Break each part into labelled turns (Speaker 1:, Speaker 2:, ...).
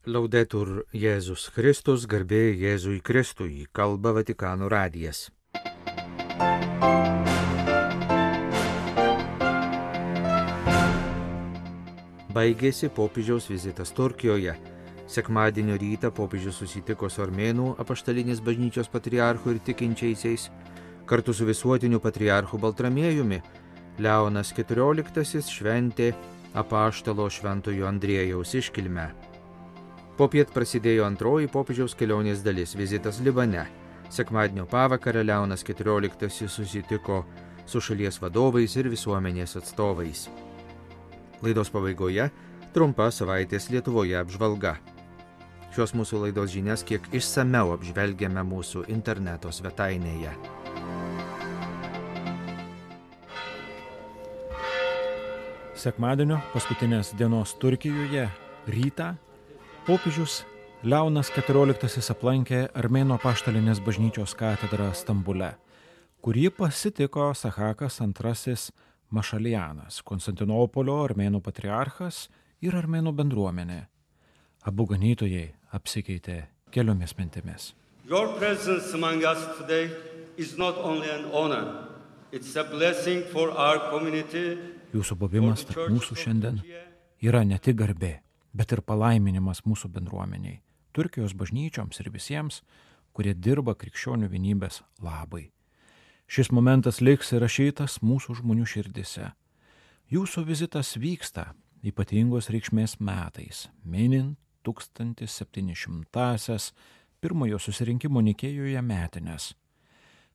Speaker 1: Laudetur Jėzus Kristus, garbė Jėzui Kristui, kalba Vatikano radijas. Baigėsi popiežiaus vizitas Turkijoje. Sekmadienio rytą popiežius susitiko su Armėnų apaštalinės bažnyčios patriarchu ir tikinčiaisiais. Kartu su visuotiniu patriarchu Baltramiejumi Leonas XIV šventė apaštalo šventojo Andriejaus iškilmę. Popiet prasidėjo antroji popiežiaus kelionės dalis – vizitas Libane. Sekmadienio pavakarę Leonas XIV susitiko su šalies vadovais ir visuomenės atstovais. Laidos pabaigoje trumpa savaitės Lietuvoje apžvalga. Šios mūsų laidos žinias kiek išsamiau apžvelgiame mūsų interneto svetainėje.
Speaker 2: Sekmadienio paskutinės dienos Turkijoje rytą popiežius Leonas XIV aplankė Armėnų apaštalinės bažnyčios katedrą Stambule, kurį pasitiko Sahakas II Mašalianas, Konstantinopolio Armėnų patriarchas ir Armėnų bendruomenė. Abu ganytojai apsikeitė keliomis mintimis.
Speaker 3: Your presence among us today is not only an honor, it's a blessing for our community.
Speaker 2: Jūsų buvimas tarp mūsų šiandien yra ne tik garbė, bet ir palaiminimas mūsų bendruomeniai, Turkijos bažnyčioms ir visiems, kurie dirba krikščionių vienybės labai. Šis momentas liks įrašytas mūsų žmonių širdise. Jūsų vizitas vyksta ypatingos reikšmės metais, minint 1700-asias pirmojo susirinkimo Nikėjoje metines.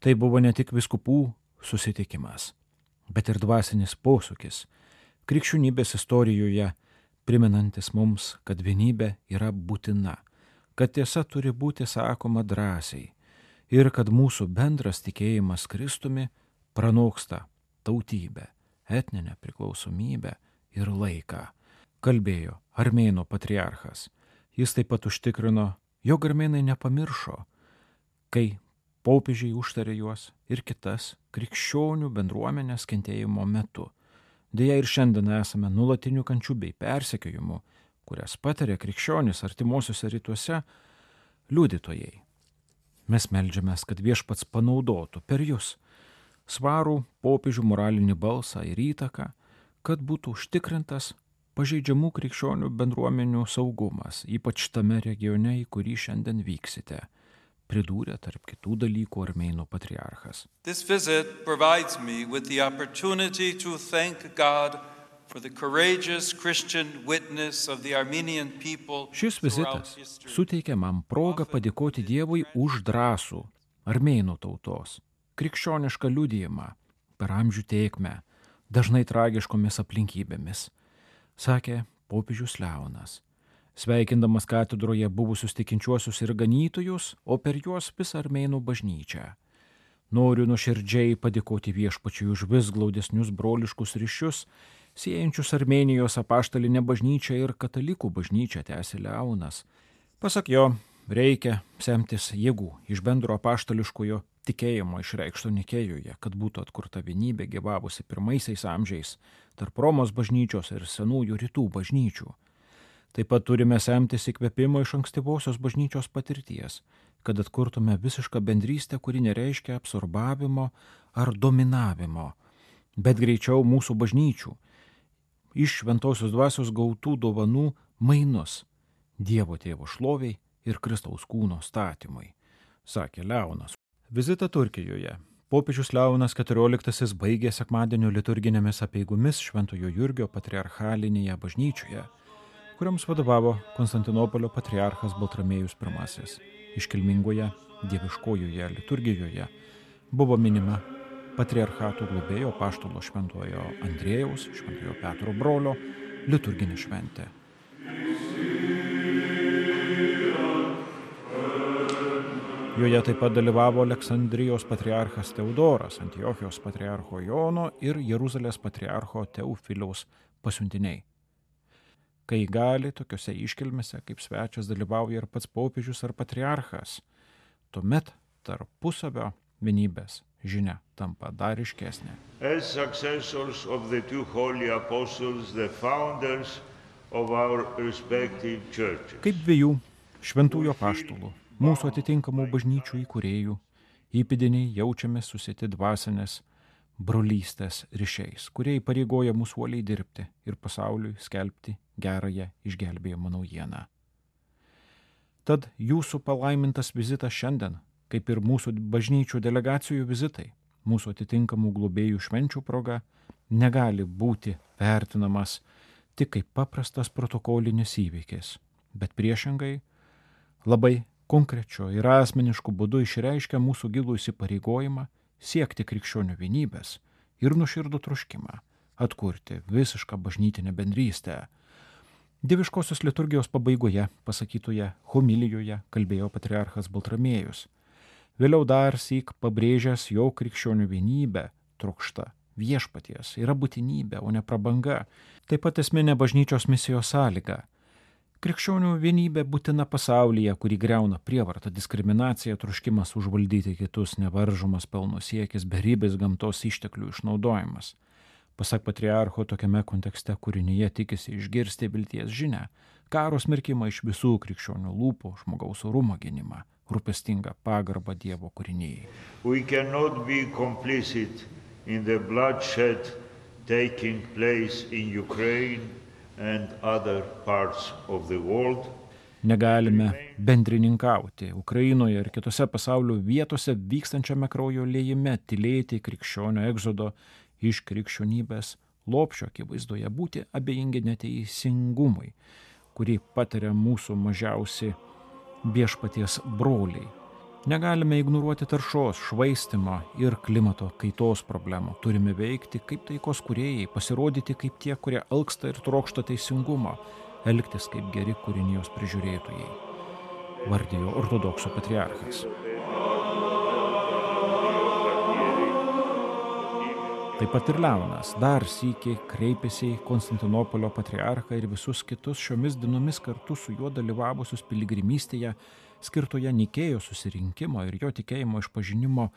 Speaker 2: Tai buvo ne tik vyskupų susitikimas, bet ir dvasinis posūkis krikščionybės istorijoje, primenantis mums, kad vienybė yra būtina, kad tiesa turi būti sakoma drąsiai ir kad mūsų bendras tikėjimas Kristumi pranoksta tautybę, etninę priklausomybę ir laiką, kalbėjo Armėnų patriarchas. Jis taip pat užtikrino, jog armėnai nepamiršo, kai popiežiai užtarė juos ir kitas krikščionių bendruomenės kentėjimo metu. Deja ir šiandien esame nuolatinių kančių bei persekiojimų, kurias patiria krikščionys artimuosiuose rytuose liudytojai. Mes meldžiamės, kad viešpats panaudotų per jūs svarų popiežių moralinį balsą ir įtaką, kad būtų užtikrintas pažeidžiamų krikščionių bendruomenių saugumas, ypač tame regione, į kurį šiandien vyksite, pridūrė tarp kitų dalykų Armėnų patriarchas.
Speaker 4: This visit provides me with the opportunity to thank God for the courageous Christian witness of the Armenian people.
Speaker 2: Šis vizitas suteikia man progą padėkoti Dievui už drąsų Armėnų tautos, krikščionišką liudijimą per amžių tėkmę, dažnai tragiškomis aplinkybėmis, sakė popiežius Leonas, sveikindamas katedroje buvusius tikinčiuosius ir ganytojus, o per juos visą Armėnų bažnyčią. Noriu nuoširdžiai padėkoti viešpačiui už vis glaudesnius broliškus ryšius, siejančius Armėnijos apaštalinę bažnyčią ir katalikų bažnyčią, tęsė Leonas. Pasak jo, reikia semtis jėgų iš bendro apaštališkojo tikėjimo išreikšto Nikėjoje, kad būtų atkurta vienybė gyvavusi pirmaisiais amžiais tarp Romos bažnyčios ir senųjų rytų bažnyčių. Taip pat turime semtis įkvėpimo iš ankstyvosios bažnyčios patirties, kad atkurtume visišką bendrystę, kuri nereiškia absorbavimo ar dominavimo, bet greičiau mūsų bažnyčių, iš šventosios dvasios gautų dovanų mainus Dievo tėvo šloviai ir Kristaus kūno statymui, sakė Leonas. Vizitą Turkijoje popiežius Leonas XIV baigė sekmadienio liturginėmis apeigomis Šventojo Jurgio patriarchalinėje bažnyčioje, kuriams vadovavo Konstantinopolio patriarchas Baltramiejus I. Iškilmingoje dieviškojoje liturgijoje buvo minima patriarchatų globėjo apaštalo šventojo Andriejaus, šventojo Petro brolio liturginė šventė. Joje taip pat dalyvavo Aleksandrijos patriarchas Teodoras, Antiochijos patriarcho Jono ir Jeruzalės patriarcho Teofiliaus pasiuntiniai. Kai gali, tokiuose iškilmėse kaip svečias dalyvauja ir pats popiežius ar patriarchas, tuomet tarpusavio vienybės žinia tampa dar ryškesnė.
Speaker 5: As successors of the two holy apostles, the founders of our respective churches.
Speaker 2: Kaip dviejų šventųjų apaštalų, mūsų atitinkamų bažnyčių įkūrėjų, įpėdiniai jaučiame susėti dvasinės brolystės ryšiais, kurie įpareigoja mūsų uoliai dirbti ir pasauliui skelbti gerąją išgelbėjimo naujieną. Tad jūsų palaimintas vizitas šiandien, kaip ir mūsų bažnyčių delegacijų vizitai, mūsų atitinkamų globėjų švenčių proga, negali būti vertinamas tik kaip paprastas protokolinis įvykis, bet priešingai labai konkrečio ir asmenišku būdu išreiškia mūsų gilų įsipareigojimą siekti krikščionių vienybės ir nuoširdų troškimą atkurti visišką bažnytinę bendrystę. Dieviškosios liturgijos pabaigoje pasakytoje homilijoje kalbėjo patriarchas Baltramiejus. Vėliau dar syk pabrėžęs, jo krikščionių vienybę trokšta viešpaties yra būtinybė, o ne prabanga. Taip pat esminė bažnyčios misijos sąlyga. Krikščionių vienybė būtina pasaulyje, kurį griauna prievarta, diskriminacija, troškimas užvaldyti kitus, nevaržomas pelno siekis, beribės gamtos išteklių išnaudojimas. Pasak patriarcho, tokiame kontekste kūrinyje tikisi išgirsti vilties žinią, karo smerkimą iš visų krikščionių lūpų, žmogaus orumo gynimą, rūpestingą pagarbą Dievo kūrinijai.
Speaker 5: We cannot be complicit in the bloodshed taking place in Ukraine and other parts of the world.
Speaker 2: Negalime bendrininkauti Ukrainoje ir kitose pasaulio vietose vykstančiame kraujo liejime, tylėti krikščionio egzodo iš krikščionybės lopšio akivaizdoje, būti abejingi neteisingumui, kurį patiria mūsų mažiausi viešpaties broliai. Negalime ignoruoti taršos, švaistimo ir klimato kaitos problemų. Turime veikti kaip taikos kūrėjai, pasirodyti kaip tie, kurie alksta ir trokšta teisingumo, elgtis kaip geri kūrinijos prižiūrėtojai, vardijo ortodoksų patriarchas. Taip pat ir Leonas dar sykį kreipėsi į Konstantinopolio patriarchą ir visus kitus šiomis dienomis kartu su juo dalyvavusius piligrimystėje skirtoje Nikėjos susirinkimo ir jo tikėjimo išpažinimo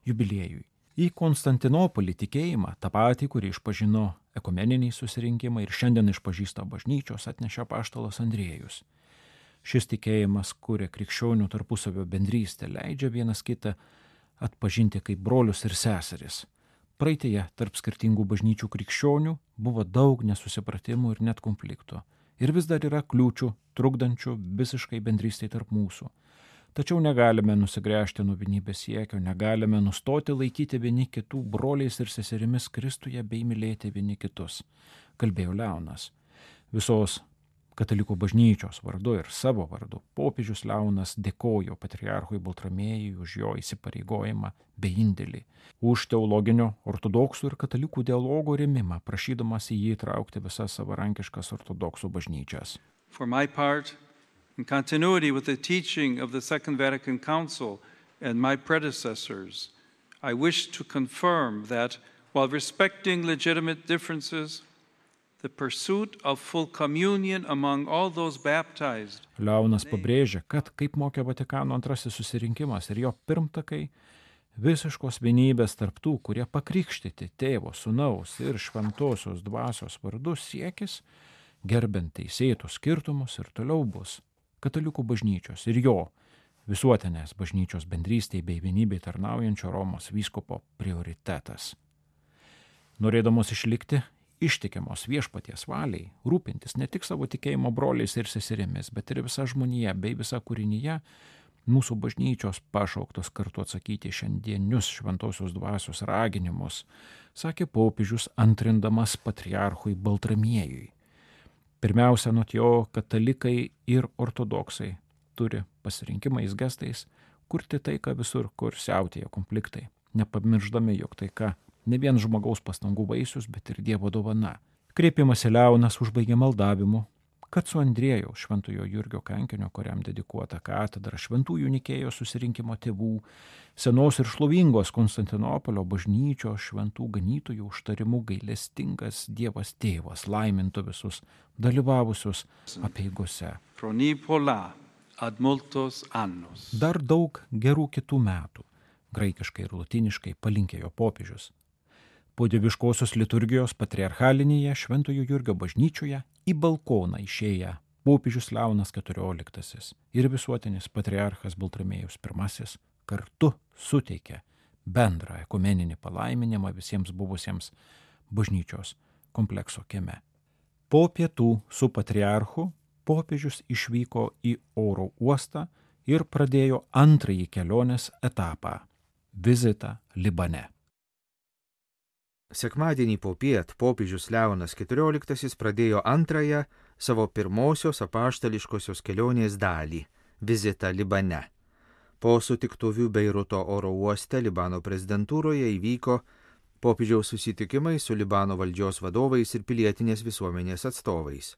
Speaker 2: jubiliejui. Į Konstantinopolį tikėjimą, tą patį, kurį išpažino ekumeniniai susirinkimai ir šiandien išpažįsta bažnyčios, atnešė apaštalas Andriejus. Šis tikėjimas kuria krikščionių tarpusavio bendrystę, leidžia vienas kitą atpažinti kaip brolius ir seseris. Praeitėje tarp skirtingų bažnyčių krikščionių buvo daug nesusipratimų ir net konfliktų. Ir vis dar yra kliūčių, trukdančių visiškai bendrystei tarp mūsų. Tačiau negalime nusigręžti nuo vienybės siekio, negalime nustoti laikyti vieni kitų broliais ir seserimis Kristuje bei mylėti vieni kitus, kalbėjo Leonas. Visos katalikų bažnyčios vardu ir savo vardu popiežius Leonas dėkojo patriarchui Baltramiejui už jo įsipareigojimą bei indėlį, už teologinio ortodoksų ir katalikų dialogo rėmimą, prašydamas į jį įtraukti visas savarankiškas ortodoksų bažnyčias.
Speaker 4: For my part, in continuity with the teaching of the Second Vatican Council and my predecessors, I wish to confirm that while respecting legitimate differences, the pursuit of full communion among all those baptized.
Speaker 2: Leonas pabrėžia, kad kaip mokė Vatikano antrasis susirinkimas ir jo pirmtakai, visiškos vienybės tarp tų, kurie pakrikštyti Tėvo, Sūnaus ir Šventosios Dvasios vardu siekis, gerbent teisėtus skirtumus ir toliau bus katalikų bažnyčios ir jo visuotinės bažnyčios bendrystei bei vienybei tarnaujančio Romos vyskupo prioritetas. Norėdamos išlikti ištikimos viešpaties valiai, rūpintis ne tik savo tikėjimo broliais ir seserimis, bet ir visa žmonija bei visa kūrinyje, mūsų bažnyčios pašauktos kartu atsakyti šiandienius Šventosios Dvasios raginimus, sakė popiežius antrindamas patriarchui Baltramiejui. Pirmiausia, nuo jo katalikai ir ortodoksai turi pasirinkimais gestais kurti taiką visur, kur siautėja konfliktai, nepamirždami, jog taika ne vien žmogaus pastangų vaisius, bet ir Dievo dovana. Kreipimąsi Leonas užbaigė maldavimu, kad su Andriejaus Šventojo Jurgio kankinio, kuriam dedikuota katedra, Šventųjų Nikėjos susirinkimo tėvų, senos ir šlovingos Konstantinopolio bažnyčios šventų ganytojų užtarimu gailestingas Dievas Tėvas laimintų visus dalyvavusius apeigose. Dar daug gerų kitų metų, graikiškai ir lotiniškai palinkėjo popiežius. Po dieviškosios liturgijos patriarchalinėje Šventojo Jurgio bažnyčioje į balkoną išėję popiežius Leonas XIV ir visuotinis patriarchas Baltramiejus I kartu suteikė bendrą ekumeninį palaiminimą visiems buvusiems bažnyčios komplekso kieme. Po pietų su patriarchu popiežius išvyko į oro uostą ir pradėjo antrąjį kelionės etapą – vizitą Libane.
Speaker 1: Sekmadienį popiet popiežius Leonas XIV pradėjo antrąją savo pirmosios apaštališkosios kelionės dalį – vizitą Libane. Po sutiktuvių Beiruto oro uoste Libano prezidentūroje įvyko popiežiaus susitikimai su Libano valdžios vadovais ir pilietinės visuomenės atstovais.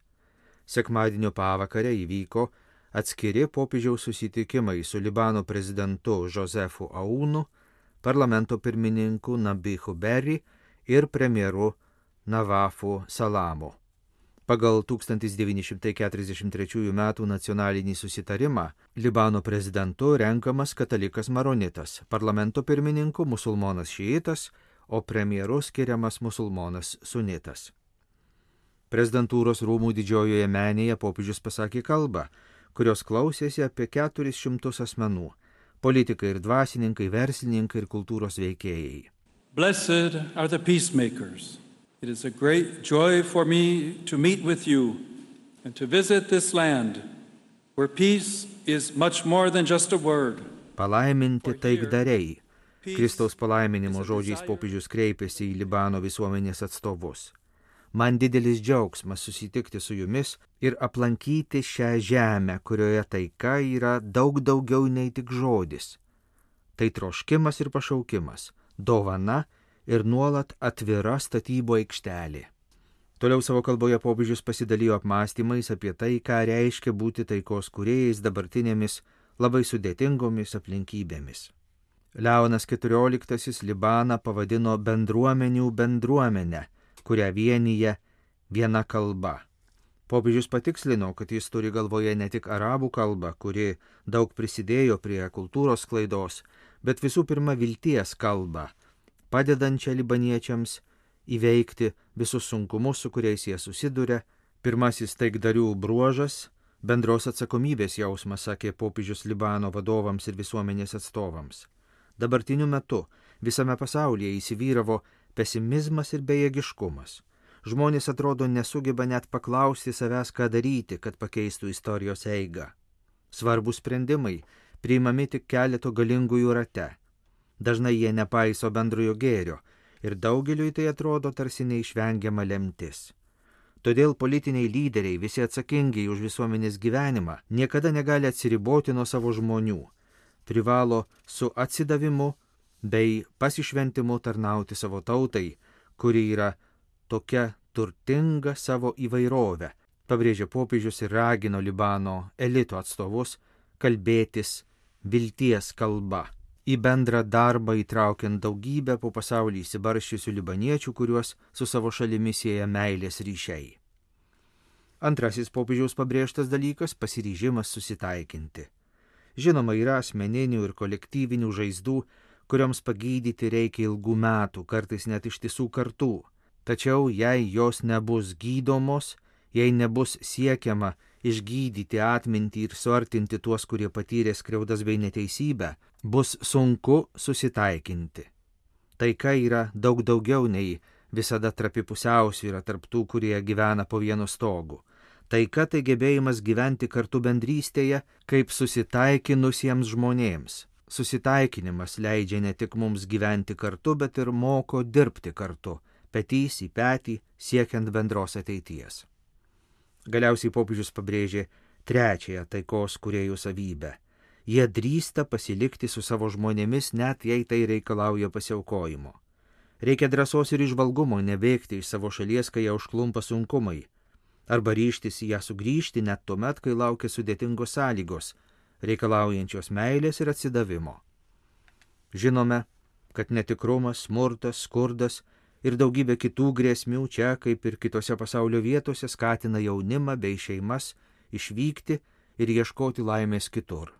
Speaker 1: Sekmadienio pavakarę įvyko atskiri popiežiaus susitikimai su Libano prezidentu Josefu Aounu, parlamento pirmininku Nabihu Berri ir premjeru Navafu Salamu. Pagal 1943 m. nacionalinį susitarimą Libano prezidentu renkamas katalikas maronitas, parlamento pirmininku musulmonas šiitas, o premjeru skiriamas musulmonas sunitas. Prezidentūros rūmų didžiojoje menėje popiežius pasakė kalbą, kurios klausėsi apie 400 asmenų – politikai ir dvasininkai, verslininkai ir kultūros veikėjai.
Speaker 4: Blessed are the peacemakers. It is a great joy for me to meet with you and to visit this land where peace is much more than just a word.
Speaker 1: Palaiminti taikdariai. Kristaus palaiminimo žodžiais popiežius kreipėsi į Libano visuomenės atstovus. Man didelis džiaugsmas susitikti su jumis ir aplankyti šią žemę, kurioje taika yra daug daugiau nei tik žodis. Tai troškimas ir pašaukimas, dovana ir nuolat atvira statybų aikštelė. Toliau savo kalboje popiežius pasidalijo apmąstymais apie tai, ką reiškia būti taikos kūrėjais dabartinėmis labai sudėtingomis aplinkybėmis. Leonas XIV Libaną pavadino bendruomenių bendruomenę, kurią vienyje viena kalba. Popiežius patikslino, kad jis turi galvoje ne tik arabų kalbą, kuri daug prisidėjo prie kultūros sklaidos, bet visų pirma vilties kalbą, padedančią libaniečiams įveikti visus sunkumus, su kuriais jie susiduria. Pirmasis taikdarių bruožas – bendros atsakomybės jausmas, sakė popiežius Libano vadovams ir visuomenės atstovams. Dabartiniu metu visame pasaulyje įsivyravo pesimizmas ir bejėgiškumas. Žmonės atrodo nesugeba net paklausti savęs, ką daryti, kad pakeistų istorijos eigą. Svarbus sprendimai priimami tik keleto galingųjų rate. Dažnai jie nepaiso bendrojo gėrio ir daugeliui tai atrodo tarsi neišvengiama lemtis. Todėl politiniai lyderiai, visi atsakingi už visuomenės gyvenimą, niekada negali atsiriboti nuo savo žmonių. Privalo su atsidavimu bei pasišventimu tarnauti savo tautai, kuri yra tokia turtinga savo įvairovę, pabrėžė popiežius ir ragino Libano elito atstovus kalbėtis vilties kalba, į bendrą darbą įtraukiant daugybę po pasaulį įsibarščiusių libaniečių, kuriuos su savo šalimi sieja meilės ryšiai. Antrasis popiežiaus pabrėžtas dalykas – pasiryžimas susitaikinti. Žinoma, yra asmeninių ir kolektyvinių žaizdų, kurioms pagydyti reikia ilgų metų, kartais net ištisų kartų. Tačiau jei jos nebus gydomos, jei nebus siekiama išgydyti atmintį ir suartinti tuos, kurie patyrė skriaudas bei neteisybę, bus sunku susitaikinti. Taika yra daug daugiau nei visada trapi pusiausvyra tarp tų, kurie gyvena po vienu stogu. Taika tai gebėjimas gyventi kartu bendrystėje kaip susitaikinusiems žmonėms. Susitaikinimas leidžia ne tik mums gyventi kartu, bet ir moko dirbti kartu, petys į petį, siekiant bendros ateities. Galiausiai popiežius pabrėžė trečiąją taikos kūrėjų savybę. Jie drįsta pasilikti su savo žmonėmis, net jei tai reikalauja pasiaukojimo. Reikia drąsos ir įžvalgumo nebėgti iš savo šalies, kai ją užklumpa sunkumai, arba ryžtis į ją sugrįžti net tuomet, kai laukia sudėtingos sąlygos, reikalaujančios meilės ir atsidavimo. Žinome, kad netikrumas, smurtas, skurdas ir daugybė kitų grėsmių čia, kaip ir kitose pasaulio vietose, skatina jaunimą bei šeimas išvykti ir ieškoti laimės kitur.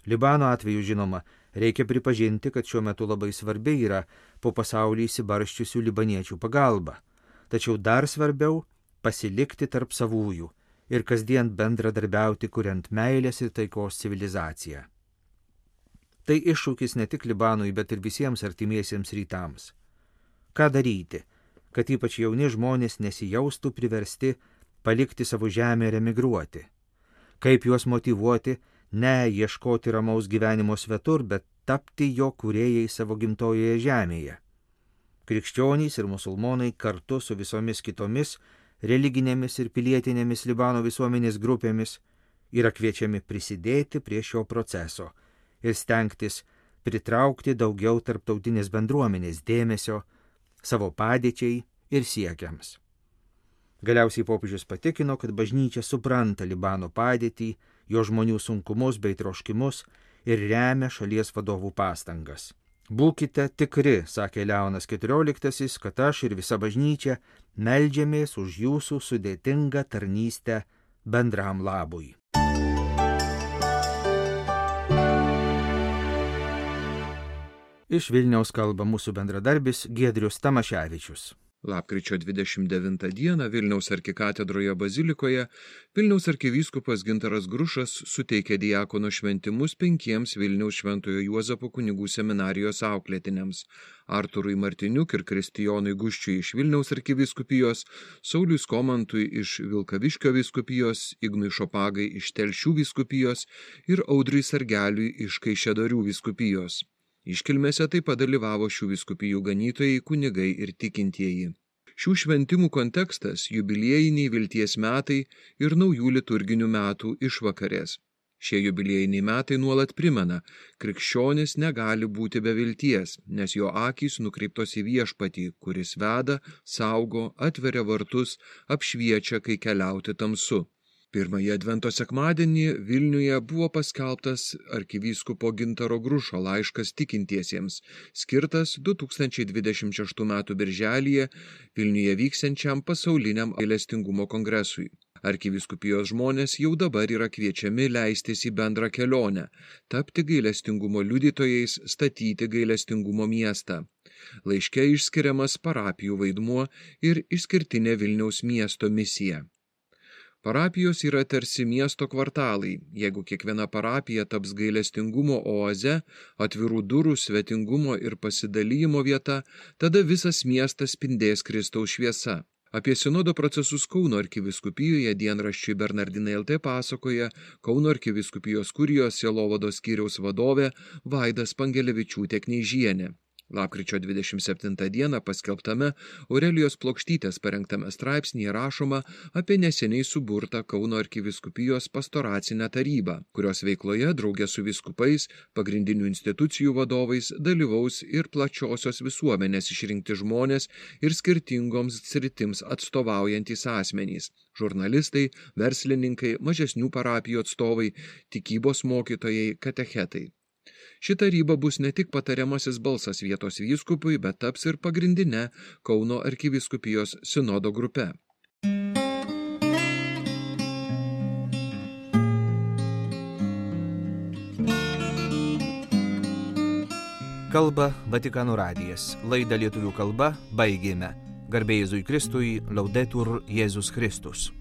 Speaker 1: Libano atveju, žinoma, Reikia pripažinti, kad šiuo metu labai svarbi yra po pasaulį įsibarščiusių libaniečių pagalba. Tačiau dar svarbiau pasilikti tarp savųjų ir kasdien bendradarbiauti, kuriant meilės ir taikos civilizaciją. Tai iššūkis ne tik Libanui, bet ir visiems artimiesiems rytams. Ką daryti, kad ypač jauni žmonės nesijaustų priversti palikti savo žemę ir emigruoti? Kaip juos motyvuoti, ne ieškoti ramaus gyvenimo svetur, bet tapti jo kūrėjai savo gimtojoje žemėje? Krikščionys ir musulmonai kartu su visomis kitomis religinėmis ir pilietinėmis Libano visuomenės grupėmis yra kviečiami prisidėti prie šio proceso ir stengtis pritraukti daugiau tarptautinės bendruomenės dėmesio savo padėčiai ir siekiams. Galiausiai popiežius patikino, kad bažnyčia supranta Libano padėtį, jo žmonių sunkumus bei troškimus ir remia šalies vadovų pastangas. Būkite tikri, sakė Leonas XIV, kad aš ir visa bažnyčia meldžiamės už jūsų sudėtingą tarnystę bendram labui. Iš Vilniaus kalba mūsų bendradarbis Giedrius Tamaševičius.
Speaker 6: Lapkričio 29 dieną Vilniaus arkikatedroje bazilikoje Vilniaus arkivyskupas Gintaras Grušas suteikė diakono šventimus 5 Vilniaus Šventojo Juozapo kunigų seminarijos auklėtiniams – Arturui Martiniuk ir Kristijonui Guščiui iš Vilniaus arkivyskupijos, Sauliui Skomantui iš Vilkaviškio vyskupijos, Ignui Šopagai iš Telšių vyskupijos ir Audriui Sargeliui iš Kaišiadorių vyskupijos. Iškilmėse taip pat dalyvavo šių vyskupijų ganytojai, kunigai ir tikintieji. Šių šventimų kontekstas – jubiliejiniai vilties metai ir naujų liturginių metų išvakarės. Šie jubiliejiniai metai nuolat primena, krikščionis negali būti be vilties, nes jo akys nukreiptos į viešpatį, kuris veda, saugo, atveria vartus, apšviečia, kai keliauti tamsu. Pirmąjį Advento sekmadienį Vilniuje buvo paskelbtas arkivyskupo Gintaro Grušo laiškas tikintiesiems, skirtas 2026 m. birželyje Vilniuje vyksiančiam pasauliniam gailestingumo kongresui. Arkivyskupijos žmonės jau dabar yra kviečiami leistis į bendrą kelionę, tapti gailestingumo liudytojais, statyti gailestingumo miestą. Laiške išskiriamas parapijų vaidmuo ir išskirtinė Vilniaus miesto misija. Parapijos yra tarsi miesto kvartalai. Jeigu kiekviena parapija taps gailestingumo oaze, atvirų durų, svetingumo ir pasidalijimo vieta, tada visas miestas spindės Kristaus šviesa. Apie sinodo procesus Kauno arkivyskupijoje dienraščiui Bernardinai LT pasakoja Kauno arkivyskupijos kurijos sielovados skyriaus vadovė Vaida Spangelevičiūtė Kneižienė. Lapkričio 27 dieną paskelbtame Aurelijos Plokštytės parengtame straipsnyje rašoma apie neseniai suburtą Kauno arkivyskupijos pastoracinę tarybą, kurios veikloje drauge su vyskupais, pagrindinių institucijų vadovais dalyvaus ir plačiosios visuomenės išrinkti žmonės ir skirtingoms sritims atstovaujantys asmenys – žurnalistai, verslininkai, mažesnių parapijų atstovai, tikybos mokytojai, katechetai. Ši taryba bus ne tik patariamasis balsas vietos vyskupui, bet taps ir pagrindinė Kauno arkivyskupijos sinodo grupe.
Speaker 1: Kalba Vatikano radijas. Laidą lietuvių kalba baigėme. Garbė Jėzui Kristui, Laudetur Jėzus Kristus.